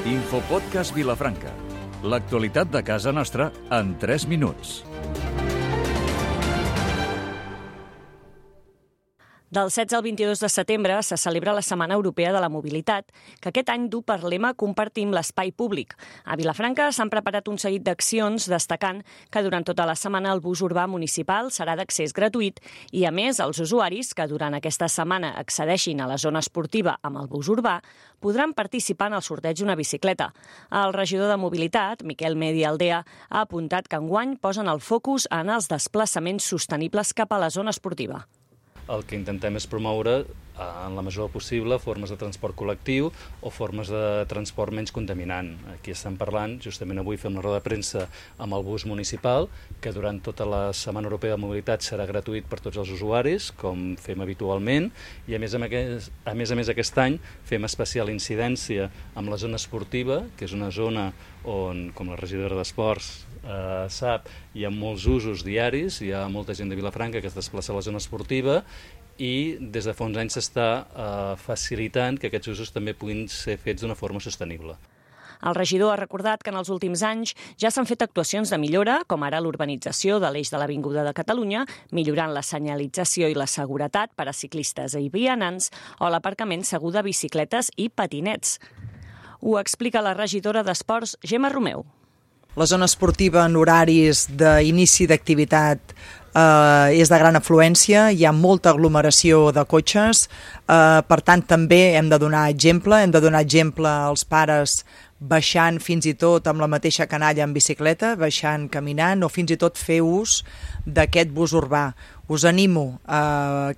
Infopodcast Vilafranca. L'actualitat de casa nostra en 3 minuts. Del 16 al 22 de setembre se celebra la Setmana Europea de la Mobilitat, que aquest any du per lema Compartim l'espai públic. A Vilafranca s'han preparat un seguit d'accions destacant que durant tota la setmana el bus urbà municipal serà d'accés gratuït i, a més, els usuaris que durant aquesta setmana accedeixin a la zona esportiva amb el bus urbà podran participar en el sorteig d'una bicicleta. El regidor de Mobilitat, Miquel Medi Aldea, ha apuntat que enguany posen el focus en els desplaçaments sostenibles cap a la zona esportiva. El que intentem és promoure, en la mesura possible, formes de transport col·lectiu o formes de transport menys contaminant. Aquí estem parlant, justament avui fem una roda de premsa amb el bus municipal, que durant tota la Setmana Europea de Mobilitat serà gratuït per tots els usuaris, com fem habitualment, i a més a més aquest any fem especial incidència amb la zona esportiva, que és una zona on, com la regidora d'Esports sap, hi ha molts usos diaris, hi ha molta gent de Vilafranca que es desplaça a la zona esportiva i des de fa uns anys s'està facilitant que aquests usos també puguin ser fets d'una forma sostenible. El regidor ha recordat que en els últims anys ja s'han fet actuacions de millora, com ara l'urbanització de l'eix de l'Avinguda de Catalunya, millorant la senyalització i la seguretat per a ciclistes i vianants, o l'aparcament segur de bicicletes i patinets. Ho explica la regidora d'Esports, Gemma Romeu. La zona esportiva en horaris d'inici d'activitat és de gran afluència, hi ha molta aglomeració de cotxes, per tant també hem de donar exemple als pares baixant fins i tot amb la mateixa canalla en bicicleta, baixant caminant o fins i tot fer ús d'aquest bus urbà. Us animo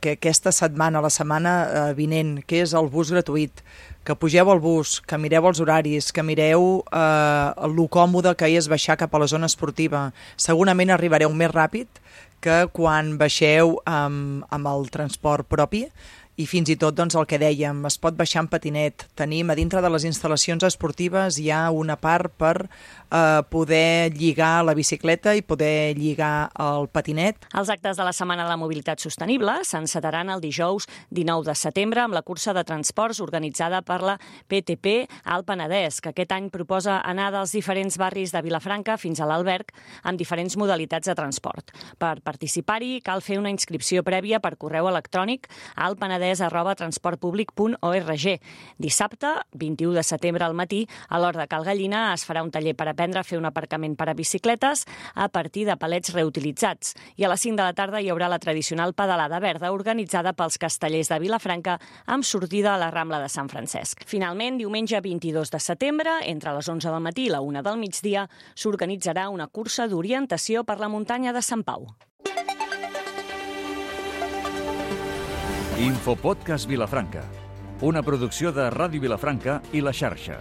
que aquesta setmana, la setmana vinent, que és el bus gratuït, que pugeu al bus, que mireu els horaris, que mireu lo còmode que és baixar cap a la zona esportiva. Segurament arribareu més ràpid que quan baixeu amb el transport propi i fins i tot el que dèiem, es pot baixar en patinet. Tenim a dintre de les instal·lacions esportives hi ha una part per poder lligar la bicicleta i poder lligar el patinet. Els actes de la Setmana de la Mobilitat Sostenible s'encetaran el dijous 19 de setembre amb la cursa de transports organitzada per la PTP Alt Penedès, que aquest any proposa anar dels diferents barris de Vilafranca fins a l'Alberg amb diferents modalitats de transport. Per participar-hi cal fer una inscripció prèvia per correu electrònic a altpenedès@transportpublic.org. Dissabte, 21 de setembre al matí, a l'Hort de Cal Gallina es farà un taller per aprendre a fer un aparcament per a bicicletes a partir de palets reutilitzats. I a les 5 de la tarda hi haurà la tradicional pedalada verda organitzada pels castellers de Vilafranca amb sortida a la Rambla de Sant Francesc. Finalment, diumenge 22 de setembre, entre les 11 del matí i la 1 del migdia, s'organitzarà una cursa d'orientació per la muntanya de Sant Pau. Infopodcast Vilafranca, una producció de Ràdio Vilafranca i La Xarxa.